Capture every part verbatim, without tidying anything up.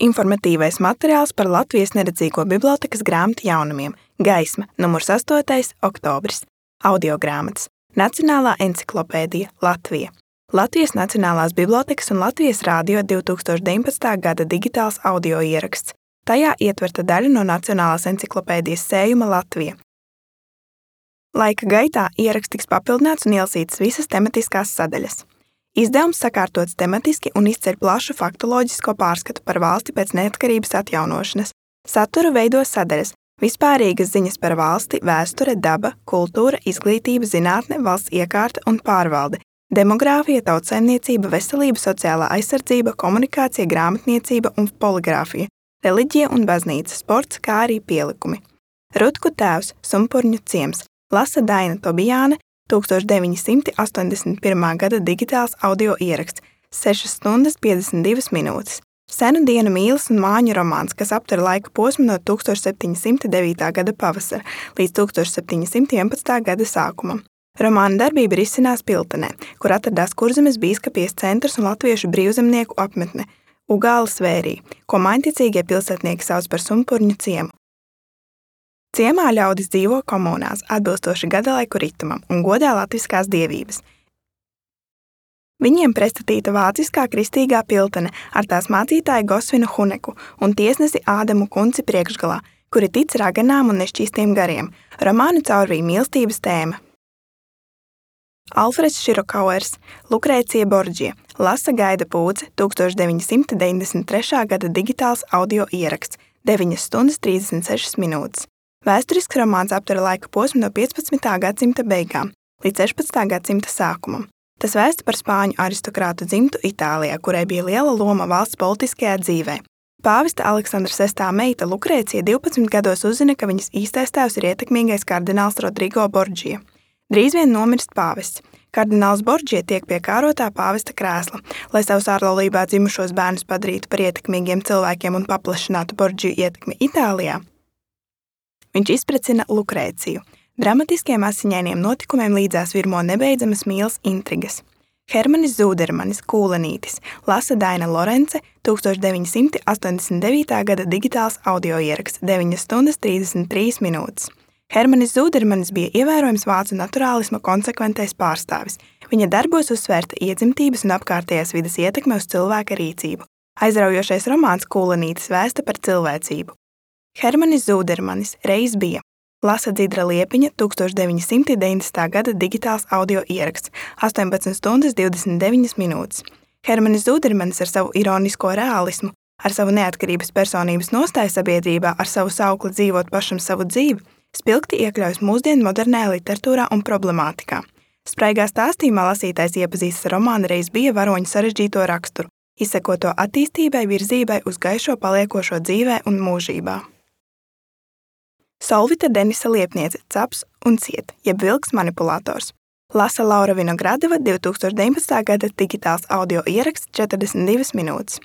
Informatīvais materiāls par Latvijas neredzīgo bibliotēkas grāmatu jaunumiem. Gaisma, numurs astotais oktobris. Audiogrāmatas. Nacionālā enciklopēdija Latvija. Latvijas Nacionālās bibliotēkas un Latvijas Rādio divi tūkstoši deviņpadsmitā gada digitāls audio ieraksts. Tajā ietverta daļa no Nacionālās enciklopēdijas sējuma Latvija. Laika gaitā ieraksts tiks papildināts un ielasītas visas tematiskās sadaļas. Izdevums sakārtots tematiski un izceļ plašu faktoloģisko pārskatu par valsti pēc neatkarības atjaunošanas. Saturu veido sadaļas: vispārīgas ziņas par valsti, vēsture, daba, kultūra, izglītība, zinātne, valsts iekārta un pārvalde, demogrāfija, tautsaimniecība, veselība, sociālā aizsardzība, komunikācija, grāmatniecība un poligrāfija, reliģija un baznīca, sports, kā arī pielikumi. Rutku tēvs, Sumpurņu ciems, lasa Daina Tobijāne, tūkstoš deviņi simti astoņdesmit pirmā gada digitāls audio ieraksts, sešas stundas piecdesmit divas minūtes. Senu dienu mīlas un māņu romāns, kas aptver laika posmu no tūkstoš septiņi simti devītā gada pavasara līdz tūkstoš septiņi simti vienpadsmitā gada sākumam. Romāna darbība risinās Piltenē, kur atradās Kurzemes bīskapijas centrs un latviešu brīvzemnieku apmetne Ugāles vērī, ko mainticīgie pilsētnieki sauc par Sumpurņu ciemu. Ciemā ļaudis dzīvo komunās, atbilstoši gadalaiku ritumam un godā latviskās dievības. Viņiem prestatīta vāciskā kristīgā Piltene ar tās mācītāju Gosvinu Huneku un tiesnesi Ādamu Kunci priekšgalā, kuri tic raganām un nešķīstiem gariem. Romānu caurvīja mīlestības tēma. Alfreds Širokauers, Lukrēcija Borģija, lasa Gaida Pūce, tūkstoš deviņi simti deviņdesmit trešā gada digitāls audio ieraksts, deviņas stundas trīsdesmit sešas minūtes. Vēsturisks romāns aptver laika posmu no piecpadsmitā gadsimta beigām līdz sešpadsmitā gadsimta sākumam. Tas vēsta par spāņu aristokrātu dzimtu Itālijā, kurai bija liela loma valsts politiskajā dzīvē. Pāvesta Aleksandra sestā meita Lukrēcija divpadsmit gados uzzina, ka viņas īstais tēvs ir ietekmīgais kardināls Rodrigo Borģija. Drīz vien nomirst pāvests. Kardināls Borģija tiek pie kārotā pāvesta krēsla, lai savus ārlaulībā dzimušos bērnus padarītu par ietekmīgiem cilvēkiem un paplašinātu Borģiju ietekmi Itālijā. Viņš izprecina Lukrēciju. Dramatiskiem asiņainiem notikumiem līdzās virmo nebeidzamas mīlas intrigas. Hermanis Zūdermanis, Kūlenītis, lasa Daina Lorence, tūkstoš deviņi simti astoņdesmit devītā gada digitāls audio ieraksts, deviņas stundas trīsdesmit trīs minūtes. Hermanis Zūdermanis bija ievērojams vācu naturālisma konsekventais pārstāvis. Viņa darbos uzsvērta iedzimtības un apkārtējās vides ietekme uz cilvēka rīcību. Aizraujošais romāns Kūlenītis vēsta par cilvēcību. Hermanis Zūdermanis reiz bija. Lasa Dzidra Liepiņa, tūkstoš deviņi simti deviņdesmitā gada digitāls audio ieraksts, astoņpadsmit stundas divdesmit deviņas minūtes. Hermanis Zūdermanis ar savu ironisko realismu, ar savu neatkarības personības nostāju sabiedrībā, ar savu saukli dzīvot pašam savu dzīvi, spilgti iekļaujas mūsdienu modernajā literatūrā un problemātikā. Spraigā stāstījumā lasītājs iepazīstas ar romāna reiz bija varoņu sarežģīto raksturu, izsekoto attīstībai, virzībai uz gaišo paliekošo dzīvē un mūžībā. Solvita Denisa Liepniece, Caps un ciet, jeb vilks manipulators. Lasa Laura Vinogradova, divi tūkstoši deviņpadsmitā gada digitāls audio ieraksts, četrdesmit divas minūtes.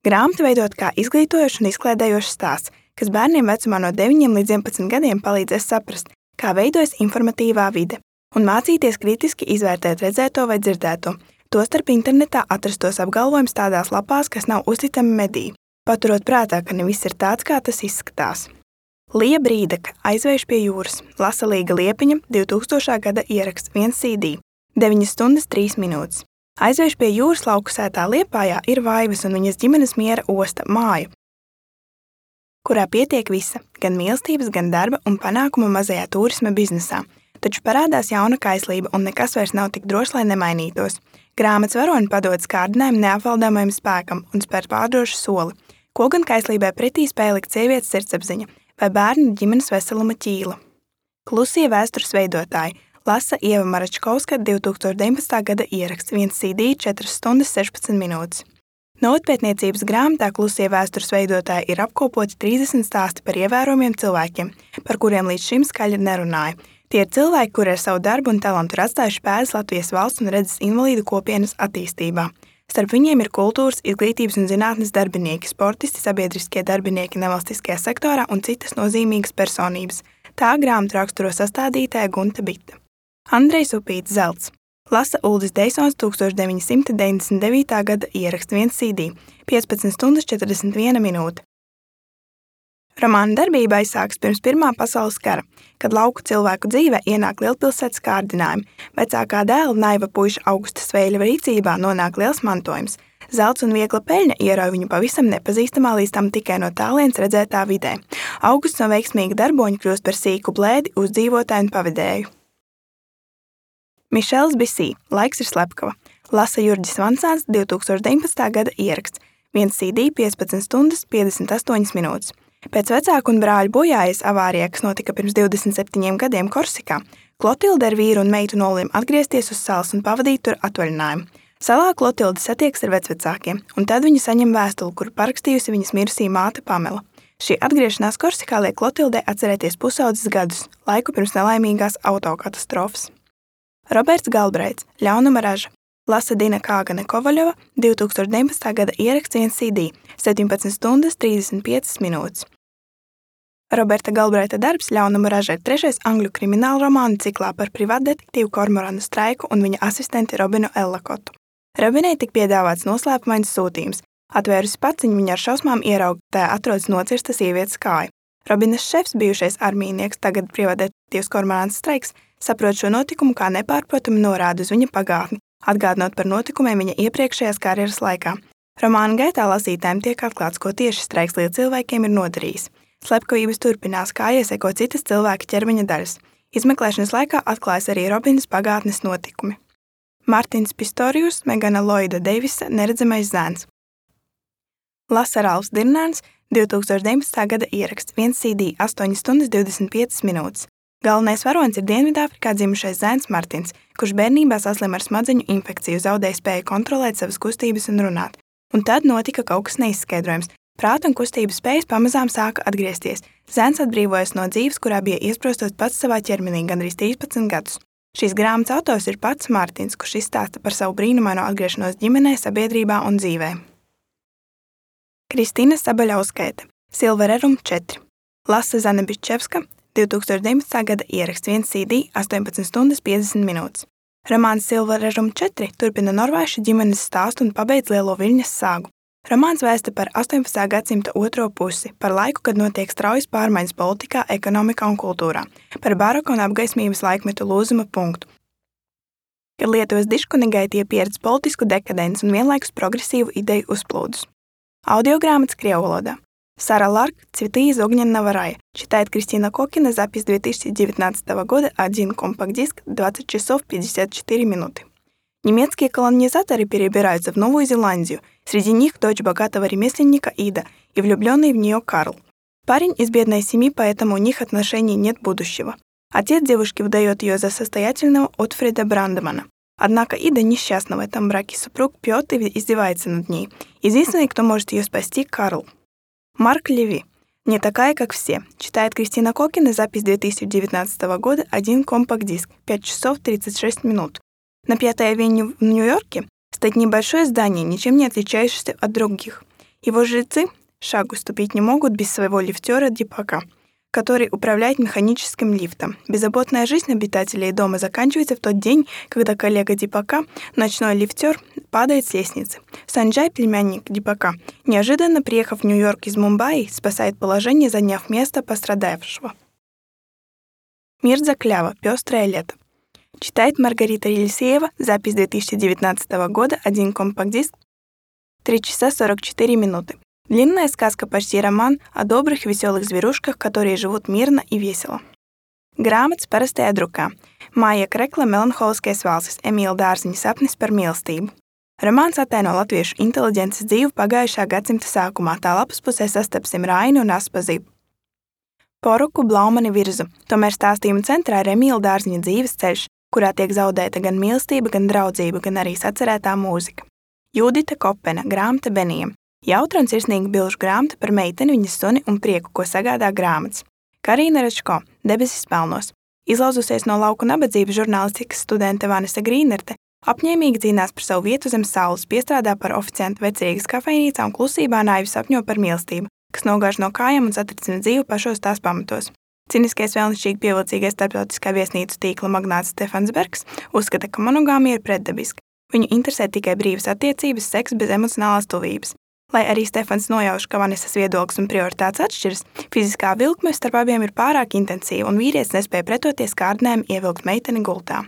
Grāmatu veidot kā izglītojošs un izklēdējošs stāsts, kas bērniem vecumā no deviņiem līdz vienpadsmit gadiem palīdzēs saprast, kā veidojas informatīvā vide, un mācīties kritiski izvērtēt redzēto vai dzirdēto, tostarp internetā atrastos apgalvojums tādās lapās, kas nav uzticami mediji, paturot prātā, ka ne viss ir tāds, kā tas izskatās. Lija Brīdaka, Aizvējš pie jūras, lasa Līga Liepiņa, divtūkstošā gada ieraksts, viens C D, deviņas stundas trīs minūtes. Aizvējš pie jūras lauku sētā Liepājā ir Vaivas un viņas ģimenes miera osta māja, kurā pietiek visa, gan mīlestības, gan darba un panākuma mazajā turisma biznesā. Taču parādās jauna kaislība un nekas vairs nav tik drošs, lai nemainītos. Grāmatas varoņi padodas kārdinājuma neapvaldāmajam spēkam un spēr pārdrošu soli, ko gan kaislībai pretī spēja likt sievietes sirdsapziņa vai bērnu ģimenes veseluma ķīla. Klusie vēstures veidotāji, lasa Ieva Maračkovska, divi tūkstoši deviņpadsmitā gada ieraksts, viens C D, četras stundas sešpadsmit minūtes. Novatpētniecības grāmatā Klusie vēstures veidotāji ir apkopoti trīsdesmit stāsti par ievērojumiem cilvēkiem, par kuriem līdz šim skaļi nerunāja. Tie ir cilvēki, kuri ar savu darbu un talantu ir atstājuši pēdas Latvijas valsts un redzes invalīdu kopienas attīstībā. Starp viņiem ir kultūras, izglītības un zinātnes darbinieki, sportisti, sabiedriskie darbinieki nevalstiskajā sektorā un citas nozīmīgas personības. Tā grāmatu raksturo sastādītāja Gunta Bita. Andrejs Upīts Zelts. Lasa Uldis Deisons tūkstoš deviņi simti deviņdesmit devītā gada ieraksts viens C D, piecpadsmit stundas četrdesmit viena minūte. Romāna darbība aizsākas pirms Pirmā pasaules kara, kad lauku cilvēku dzīvē ienāk lielpilsētas kārdinājumi. Vecākā dēla naiva puiša Augusta Sveļa rīcībā nonāk liels mantojums. Zelts un viegla peļņa ierauj viņu pavisam nepazīstamā līdz tam tikai no tālienes redzētā vidē. Augusts no veiksmīga darboņa kļūst par sīku blēdi, uzdzīvotāju un pavadēju. Mišels Bisī, Laiks ir slepkava. Lasa Jurģis Vansāns, divtūkstoš deviņpadsmitā gada ieraksts, viens C D, piecpadsmit stundas piecdesmit astoņas minūtes. Pēc vecāku un brāļu bojājas avārijā, kas notika pirms divdesmit septiņiem gadiem Korsikā, Klotilde ar vīru un meitu nolēma atgriezties uz salas un pavadīt tur atvaļinājumu. Salā Klotilde satiekas ar vecvecākiem, un tad viņa saņem vēstuli, kuru parakstījusi viņas mirusī māte Pamela. Šī atgriešanās Korsikā liek Klotildei atcerēties pusaudzes gadus, laiku pirms nelaimīgās autokatastrofas. Roberts Galbraits, Ļaunuma raža. Lasa Dina Kāgane Kovaļova, divtūkstoš deviņpadsmitā gada ieraksts viens C D, septiņpadsmit stundas trīsdesmit piecas minūtes. Roberta Galbraita darbs Ļaunuma raža ir trešais angļu krimināla romānu ciklā par privātdetektīvu Kormoranu Straiku un viņa asistenti Robinu Ellakotu. Robinai tik piedāvāts noslēpumains sūtījums. Atvērusi paciņu, viņa ar šausmām ierauga, tā atrodas nocirsta sievietes kāja. Robinas šefs, bijušais armijnieks, tagad privātdetektīvs Kormorans Straiks, saprot šo notikumu kā nepārprotamu norādi uz viņa pagātni, atgādinot par notikumiem viņa iepriekšējās karjeras laikā. Romāna gaitā lasītājiem tiek atklāts, ko tieši Streiks lielu cilvēkiem ir nodarījis. Slepkavības turpinās, kā ieseko citas cilvēka ķermeņa daļas. Izmeklēšanas laikā atklājas arī Robinas pagātnes notikumi. Martins Pistorius, Megana Loida Deivisa, Neredzamais zēns. Lasa Ralfs Dirnāns, divtūkstoš deviņpadsmitā gada ieraksts, viens C D, astoņas stundas divdesmit piecas minūtes. Galvenais varonis ir Dienvidāfrikā dzimušais zēns Martins, kurš bērnībā saslim ar smadzeņu infekciju, zaudēja spēju kontrolēt savas kustības un runāt. Un tad notika kaut kas neizskaidrojams. Prāta un kustības spējas pamazām sāka atgriezties. Zēns atbrīvojas no dzīves, kurā bija iesprostos pats savā ķermenī gandrīz trīspadsmit gadus. Šīs grāmatas autors ir pats Martins, kurš izstāsta par savu brīnumaino atgriešanos ģimenē, sabiedrībā un dzīvē. Kristīna Sabaļauskaite, Silvererum četri. Lasa Zana Bičevska, divtūkstoš deviņpadsmitā gada ieraksts viens C D, astoņpadsmit stundas piecdesmit minūtes. Romāns Silvererum četri turpina norvēšu ģimenes stāstu un pabeidz lielo viļņas sāgu. Romāns vēsta par astoņpadsmitā gadsimta otro pusi, par laiku, kad notiek straujas pārmaiņas politikā, ekonomikā un kultūrā, par baroka un apgaismības laikmetu lūzuma punktu, kad Lietuvas diškunigai pieredz politisku dekadenci un vienlaikus progresīvu ideju uzplūdus. Audiogrāmatas krievu валода. Сара Ларк, «Цветы из огненного рая». Читает Кристина Кокина, запись две тысячи девятнадцатого года, один компакт-диск, двадцать часов пятьдесят четыре минуты. Немецкие колонизаторы перебираются в Новую Зеландию. Среди них дочь богатого ремесленника Ида и влюбленный в нее Карл. Парень из бедной семьи, поэтому у них отношений нет будущего. Отец девушки выдает ее за состоятельного Отфрида Брандемана. Однако Ида несчастна в этом браке, супруг пьет и издевается над ней. Единственный, кто может ее спасти, Карл. Марк Леви. «Не такая, как все». Читает Кристина Кокина, запись две тысячи девятнадцатого года, один компакт-диск, пять часов тридцать шесть минут. На Пятой авеню в Нью-Йорке стоит небольшое здание, ничем не отличающееся от других. Его жильцы шагу ступить не могут без своего лифтера Дипака, который управляет механическим лифтом. Беззаботная жизнь обитателей дома заканчивается в тот день, когда коллега Дипака, ночной лифтер, падает с лестницы. Санджай, племянник Дипака, неожиданно приехав в Нью-Йорк из Мумбаи, спасает положение, заняв место пострадавшего. Мирза Клява. Пёстрое лето. Читает Маргарита Елисеева, запись две тысячи девятнадцатого года, один компакт-диск, три часа сорок четыре минуты. Длинная сказка, почти роман о добрых веселых зверушках, которые живут мирно и весело. Grāmatas parastajā drukā. Māja Krekla Melanholiskais valsis, Emīla Dārziņa sapnis par mīlestību. Romāns ataino latviešu inteliģences dzīvi pagājušā gadsimta sākumā, tā lapas pusē sastapsim Raini un Aspazību. Poruku Blaumani virzu, tomēr stāstījuma centrā ir Emīla Dārziņa dzīves ceļš, kurā tiek zaudēta gan mīlestība, gan draudzība, gan arī sacerētā mūzika. Judita Kopena, grāmata Benijam. Jautra un sirsnīga bilžu grāmata par meiteni, viņas suni un prieku, ko sagādā grāmatas. Karīna Račko, Debesis pelnos. Izlauzusies no lauku nabadzības žurnālistikas studente Vanesa Grīnerte, apņēmīgi cīnās par savu vietu zem saules, piestrādā par oficiantu vecrīgas kafejnīcā un klusībā naivi sapņo par mīlestību, kas nogāž no kājām un satricina dzīvi pašos tās pamatos. Ciniskais vēlnišķīgi pievilcīgais starptautiskā viesnīcu tīkla magnāts Stefans Bergs uzskata, ka monogāmija ir pretdabiska. Viņu interesē tikai brīvas attiecības, seks bez emocionālās tuvības. Lai arī Stefans nojauš, ka Vanesas viedoklis un prioritātes atšķiras, fiziskā vilkme starp abiem ir pārāk intensīva un vīrietis nespēja pretoties kārdinājumam ievilkt meiteni gultā.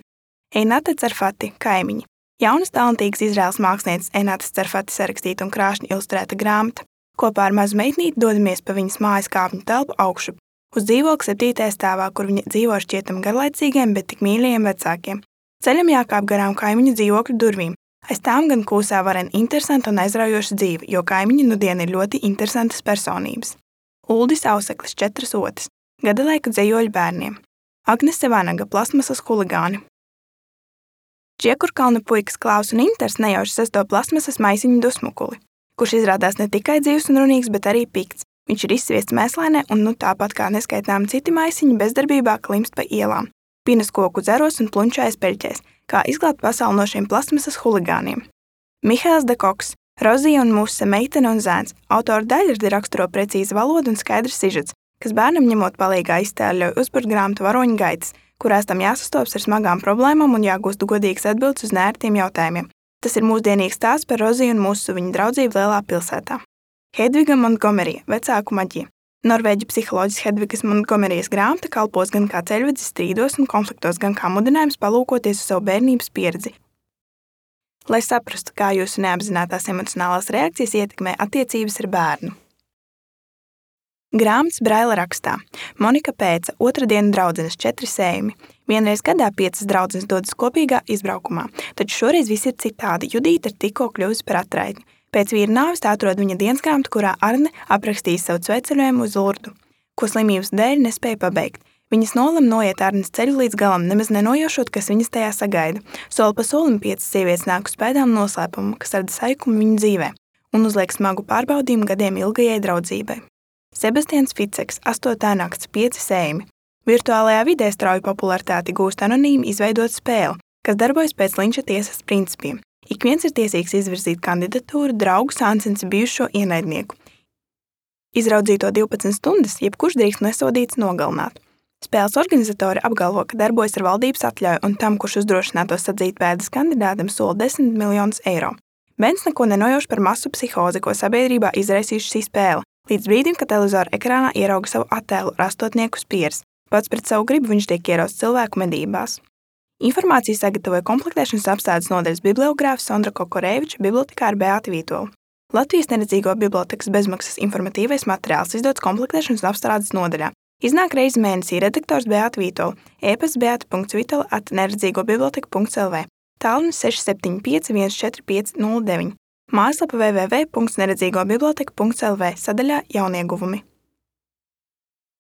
Einate Cerfati, kaimiņi. Jaunas talantīgas Izraēlas mākslinieces Einates Cerfati sarakstīta un krāšņi ilustrēta grāmata. Kopā ar mazu meitnīti dodamies pa viņas mājas kāpņu telpu augšup, uz dzīvokli septītajā stāvā, kur viņa dzīvo ar šķietam garlaicīgiem, bet tik mīļajiem vecākiem. Ceļam jākāp garām kaimiņu dzīvokļu durvīm. Aiz tām gan kūsā varen interesanta un aizraujoša dzīve, jo kaimiņi nudien ir ļoti interesantas personības. Uldis Auseklis, četras otas, gadalaiku dzejoļu bērniem. Agnese Vanaga, plasmasas huligāni. Čiekurkalnu puikas Klaus un Inters nejauši sesto plasmasas maisiņu dusmukuli, kurš izrādās ne tikai dzīvs un runīgs, bet arī pikts. Viņš ir izsviests mēslainē un nu tāpat kā neskaitāmi citi maisiņi bezdarbībā klimst pa ielām, pinas koku dzeros un plunčājas peļķēs, kā izglābt pasauli no šiem plasmasas huligāniem. Mihails de Koks, Rozija un Muse, meitene un zēns. Autora daļradi raksturo precīzi valodu un skaidrs sižets, kas bērnam ņemot palīgā iztēli ļauj uzburt grāmatu Varoņu gaitas, kurās tam jāsastopas ar smagām problēmām un jāgūst godīgas atbildes uz neērtiem jautājumiem. Tas ir mūsdienīgs stāsts par Roziju un Musu, viņu draudzību lielā pilsētā. Hedviga Montgomerija, vecāku maģija. Norvēģu psiholoģis Hedvigas Montgomerijas grāmata kalpos gan kā ceļvedis strīdos un konfliktos, gan kā mudinājums palūkoties uz savu bērnības pieredzi. Lai saprastu, kā jūsu neapzinātās emocionālās reakcijas ietekmē attiecības ar bērnu. Grāmatas Braila rakstā. Monika Pēca, otrdienu draudzenes, četri sējumi. Vienreiz gadā piecas draudzenes dodas kopīgā izbraukumā, taču šoreiz viss ir citādi. Judīta ir tikko kļuvusi par atraitni. Pēc vīra nāves tā atrod viņa dienas grāmatu, kurā Arne aprakstīs savu sveceļojumu uz Lurdu, ko slimības dēļ nespēja pabeigt. Viņas nolem noiet Arnes ceļu līdz galam, nemaz nenojaušot, kas viņas tajā sagaida. Soli pa solim piecas sievietes nāk uz pēdām noslēpumu, kas rada saikumu viņu dzīvē, un uzliek smagu pārbaudījumu gadiem ilgajai draudzībai. Sebastians Ficeks, astotā nakts, pieci sējumi. Virtuālajā vidē strauju popularitāti gūst anonīmi izveidot spēli, kas darbojas pēc Linča tiesas principiem. Ik viens ir tiesīgs izvirzīt kandidatūru draugu Sansensa bijušo ienaidnieku. Izraudzīto divpadsmit stundas, jebkurš drīkst nesodīts nogalināt. Spēles organizatori apgalvo, ka darbojas ar valdības atļauju un tam, kurš uzdrošinātos atzīt pēdas kandidātam, sola desmit miljonus eiro. Bens neko nenojauš par masu psihozi, ko sabiedrībā izraisījuši šī spēle, līdz brīdim, kad televizora ekrānā ierauga savu attēlu ar astotnieku spieras. Pats pret savu gribu viņš tiek ierausts cilvēku medībās. Informāciju sagatavoja komplektēšanas apstādes nodaļas bibliogrāfs Sondra Kokoreviča, bibliotekāra Beāta Vītola. Latvijas neredzīgo bibliotekas bezmaksas informatīvais materiāls izdots komplektēšanas apstrādes nodaļā. Iznāk reizi mēnesī redaktors Beāta Vītola, e-pasts beata punkts vitola at neredzīgobiblioteka punkts lv, tālrunis seši septiņi pieci viens četri pieci nulle deviņi, mājaslapa w w w punkts neredzīgobiblioteka punkts lv, sadaļā jaunieguvumi.